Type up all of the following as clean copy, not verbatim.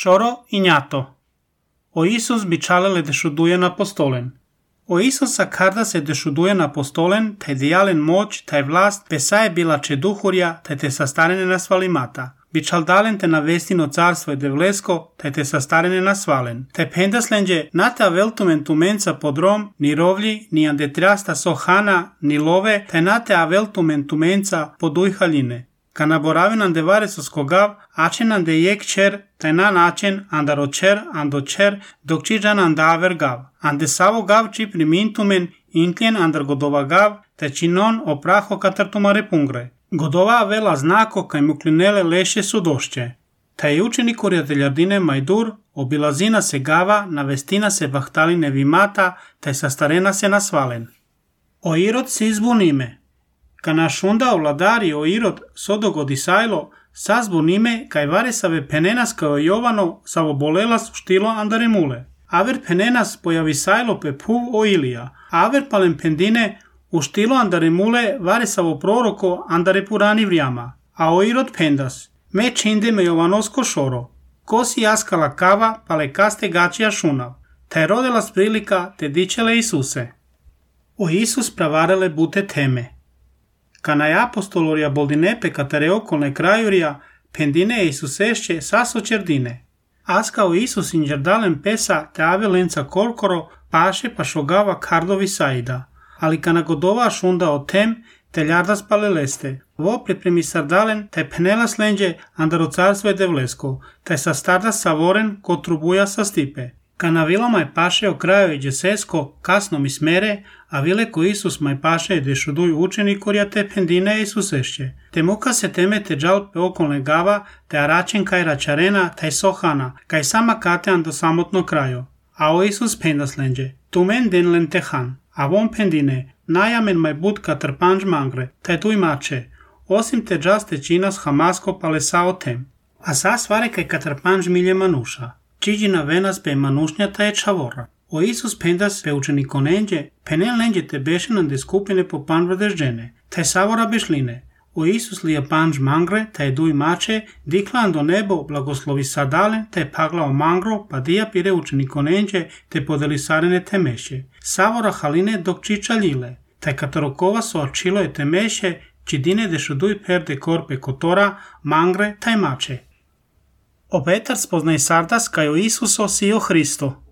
Шоро и нято. O Isus бичалеле дешудуе на постолен. O Isusa kada se dešuduje na postolen, taj dijalen moć, taj vlast, pesaje bila čeduhurja, taj te sastarene na svalimata. Bičaldalen te na vestino carstvo je devlesko, taj te sastarene na svalen. Taj pendaslenđe nate aveltumen tumenca podrom, ni rovlji, ni andetriasta sohana, ni love, taj nate aveltumen tumenca poduj haljine. Kana boravin ande varesos kogav, ačen ande jek čer, taj na načen andaročer, andočer, dok čiđan andaver gav. Ande savo gav či primintumen, inkljen andar godova gav, taj činon opraho katartumare pungre. Godova avela znako kaj muklinele leše sudošće. Taj učenik urijateljardine Majdur, obilazina se gava, navestina se bahtaline vimata, taj sastarena se nasvalen. O Irod se izbunime. Kana šunda ovladari o Irod sodogodisajlo, sazbunime kaj varesave penenas kao Jovano savobolelas štilo andaremule. Aver penenas pojavisajlo pe puv o Ilija, aver palen pendine u štilo andaremule varesavo proroko andarepurani vrijama, a o Irod pendas, me činde me Jovanosko šoro, kosi jaskala kava pale kaste gačija šunav, taj rodelas prilika te dičele Isuse. O Isus pravarele bute teme. Kana je apostolorija boldinepe katare okolne krajurija, pendine Isusešće saso čerdine. Askao Isus inđerdalen pesa te avelenca kolkoro paše pa šogava kardovi saida. Ali kana godova šunda o tem, te ljardas paleleste. Vo pripremi sardalen, te penela slenđe andaro carstvo je devlesko, te sa stardas savoren ko trubuja sa stipe. Kana vila maj paše o kraju i džesesko, kasno mi smere, a vile ko Isus maj paše je dešuduju učenikorja te pendine Isusešće. Te muka se teme te džalpe okolne gava, te aračen kaj račarena, taj sohana, kaj sama katean do samotno kraju. A o Isus pendaslenđe, tumen den len tehan, a von pendine, najamen maj bud katrpanđ mangre, taj tu imače, osim te džaste činas hamasko palesao tem. A sa svare kaj katrpanđ milje manuša. Čiđina venas pe manušnjata je čavora. O Isus pendas pe učenikonenđe, penel lenđe te bešenande skupine po panvrde žene, taj savora bešline. O Isus lija panđ mangre, taj duj mače, diklan do nebo, blagoslovi sadalen, taj paglao mangro, pa dija pire učenikonenđe, te podeli sarene temeše. Savora haline dok čiča ljile, taj katarokova so očilo je temeše, čidine dešuduj perde korpe kotora, mangre, taj mače. O Petar spoznaj sardas kaj o Isuso si o Hristo.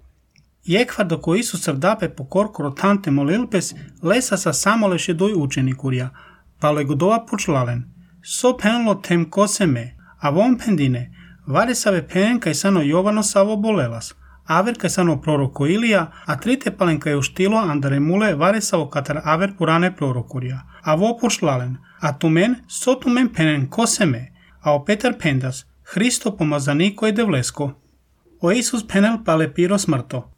Jekva dok o Isus srdape po korkoro tante molilpes, lesa sa samoleše duj učenikurja, pa legodova počlalen. So penlo tem kose me, a von pendine, vare save pen kaj sano Jovano savo bolelas, aver kaj sano proroko Ilija, a trite palen kaj uštilo andaremule vare savo katar aver purane prorokurja, a vo počlalen, a tumen, so tumen penen kose me, a o Petar pendas, Hristo pomazaniko je devlesko. O Isus penel pale piro smrto.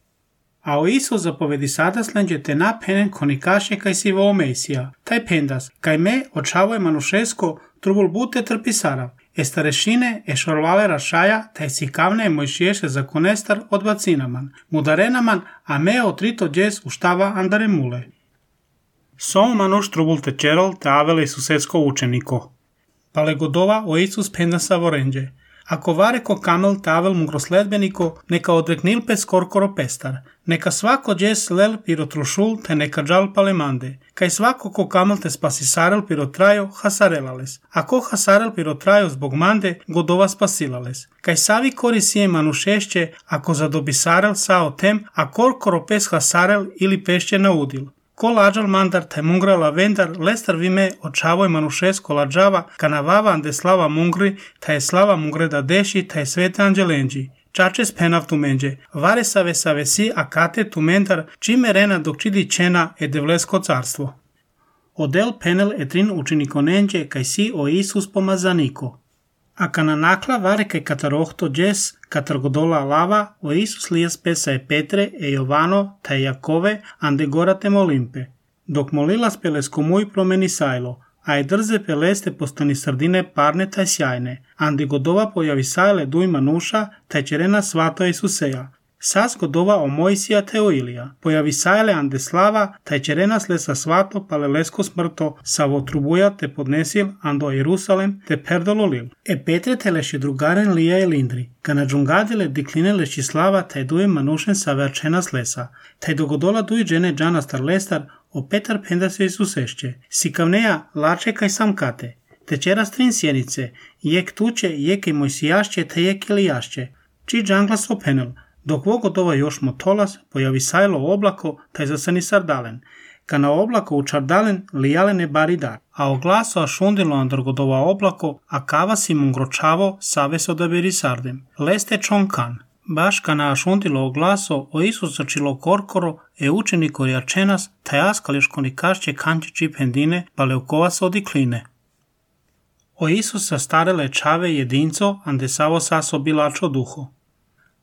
A o Isus zapovedi sadaslenđe te na penen konikaše kaj si vo Mesija, taj pendas, kaj me očavo je manušesko trubul bute trpisara, estarešine ešorvale rašaja, taj si kavne je mojšiješe za konestar odbacinaman, mudarenaman, a me otrito džes uštava andaremule. Som manuš trubul te čerol te avele Isusesko učeniko. Pale godova o Isus penda savorenđe. Ako vare ko kamel tavel mugrosledbeniko, neka odreknil pes korkoro pestar, neka svako džes lel pirotrušul te neka džal palemande, kaj svako ko kamel te spasisarel pirotrajo hasarelales, a ko hasarel pirotrajo zbog mande godova spasilales, kaj savi korisije manušešće ako zadobisarel sao tem, a korkoro pes hasarel ili pešće naudil. Ko lađal mandar taj mungra lavendar, lestar vime očavoj manušesko lađava, kanavava ande slava mungri, taj slava mungre da deši, taj svete anđelenđi. Čačes penav tumenđe, vare save si akate tumendar, čime rena dok čidi čena e devlesko carstvo. Odel penel etrin učinikonenđe, kaj si o Isus pomazaniko. A kana nakla vare kaj katarohto džes, katar godola lava, o Isus lijas pesa e Petre, e Jovano, taj Jakove, ande gorate molimpe. Dok molilas pelesko muj promeni sajlo, a je drze peleste postani srdine parne taj sjajne, ande godova pojavi sajle duj manuša, taj čerena svato Isuseja. Sas godova o Mojsija te o Ilija. Pojavi sajle ande slava, taj će renasle sa svato palelesko smrto, savo trubuja te podnesil ando Jerusalem te perdolo lil. Petre te leši drugaren lija i lindri. Kana džungadile dikline leši slava, taj duje manušen sa verčena slesa. Taj dogodola duj džene džana star lestar, o Petar penda se isusešće. Sikavneja lače kaj sam kate. Tečera strin sjenice, jek tuče, jek i Mojsijašće te jek Ilijašće. Či džanglas openel. Dok vogodova još motolas, pojavi sajlo oblako, taj zasani sardalen. Kana oblako u čardalen, lijalene bari dar. A o glaso a šundilo androgodova oblako, a kava si mungročavo, saves odaberi sardem. Leste čonkan. Baš kana a šundilo o glaso, o Isus začilo korkoro, učeni korjačenas, taj askališkoni kašće kančići pendine, pa leukova se odikline. O Isusa starele čave jedinco, ande savo saso bilačo duho.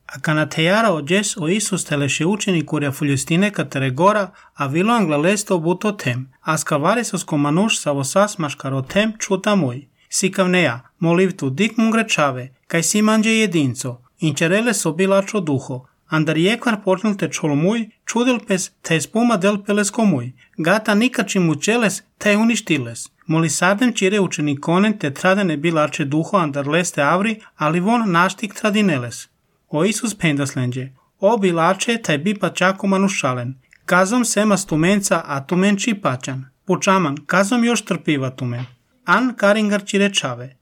A kana tejara ođes o Isus teleše učeni kurja fuljestine katere gora, a vilo angla leste obuto tem, a skavarisosko manuš savo sas maškaro tem čuta moj. Sikavneja, molivtu dik mungrečave, kaj si manđe jedinco, inčerele so bilačo duho, andar jekvar počnil te čol muj, čudil pes, te spuma del pelesko muj, gata nikači mučeles, te uništiles. Moli sardem čire učenikonen te tradene bilače duho andar leste avri, ali von naštik tradineles. O Isus pendaslenđe, o bilače taj bi pačako manušalen, kazom sema stumenca, a tumen čipačan, pučaman, kazom još trpiva tumen, an karingar čirečave.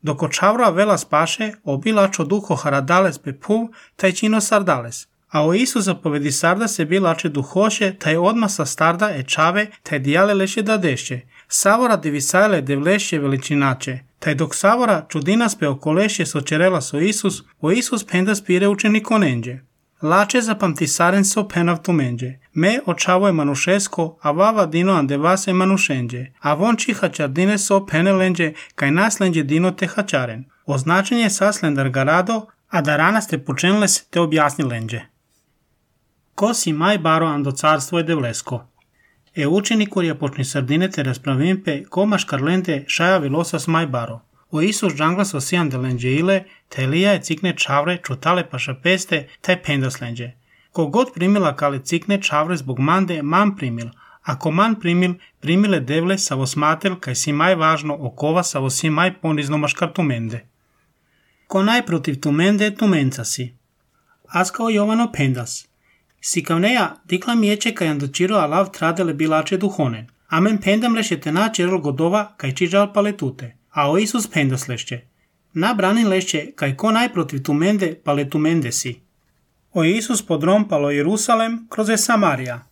Doko čavra vela spaše, o bilačo duho haradales pe puv, taj čino sardales. A o Isus zapovedi sarda se bilače duhoše, taj odma sa starda čave, taj dijale leše da deše. Savora divisajle devleše veličinače. Taj dok savora čudinas pe okoleše sočerela so Isus, o Isus penda spire učenikonenđe. Lače zapamtisaren so penav tumenđe. Me očavo je manušesko, a vava dino ande vase manušenđe. A von či hačardine so penelenđe, kaj naslenđe dino te hačaren. Označenje saslendar garado, a da ranas te pučenles te objasnilenđe. Ko si maj baro ando carstvo je devlesko. Učenikur je počni sardine te raspravimpe, ko škarlente šaja vilosas maj baro. O Isus džanglas osijan delenđe ile, te Elija je cikne čavre, čutale paša peste, taj pendaslenđe. Kogod primila kale cikne čavre zbog mande, man primil. Ako man primil, primile devle savo smatel, kaj si maj važno okova savo si maj ponizno maškar tumende. Ko najprotiv tumende, tumenca si. Askao Jovano pendas. Sikavneja dikla miječe kaj andočiro alav tradele bilače duhonen. Amen pendam lešete na čerol godova kaj čiđal paletute. A o Isus pendas lešće. Na branin lešće kaj ko najprotiv tumende paletumende si. O Isus podrom palo Jerusalem kroz je Samarija.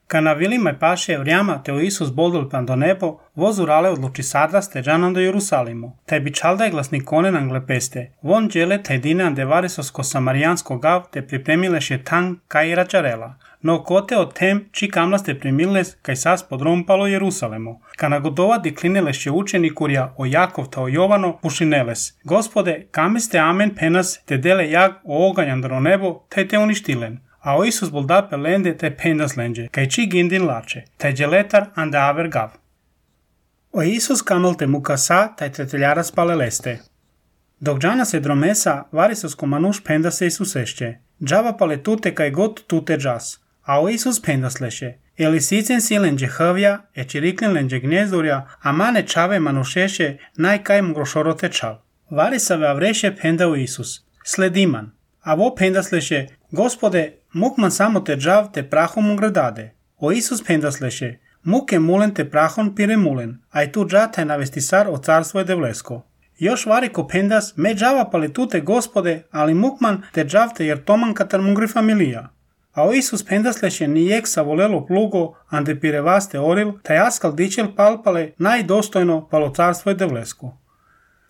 Kana vilima paše vrijama te o Isus boldol pan do nebo, voz urale odluči sardas te džanan do Jerusalimo. Taj bi čaldaj glasnikonen angle peste. Von džele taj dine ande varisosko samarijansko gav te pripremileše tang kaj račarela. No kote o tem či kamlas te primiles kaj sas podrom palo Jerusalemo. Kana godova diklineleše učeni kurja o Jakov ta o Jovano pušineles. Gospode, kame ste amen penas te dele jag o oganjan do nebo taj te uništilen. A o Isus bolda pelende te pendaslenđe, kaj či gindin lače, taj dželetar ande aver gav. O Isus kamel te mukasa, taj treteljaras paleleste. Dok džana se dromesa, varisosko manuš penda se Isusešće. Džava paletute kaj god tute džas. A o Isus pendasleše. Elisicen silenđe hvja, čiriklenlenđe gnjezdurja, a mane čave manušeše, najkaj mgrošorote čal. Varisave avreše penda o Isus. Slediman. A vo pendasleše, Gospode, muk man samo te džav te prahom ugradade. O Isus pendasleše, muk je mulen te prahon pire mulen, a i tu džata je navestisar o carstvo je devlesko. Još variko pendas, me džava paletute Gospode, ali mukman te džav te jer toman katar mungri familija. A o Isus pendasleše nijek sa volelo plugo, ande pire vaste oril, taj askal dičel palpale najdostojno palo carstvo je devlesko.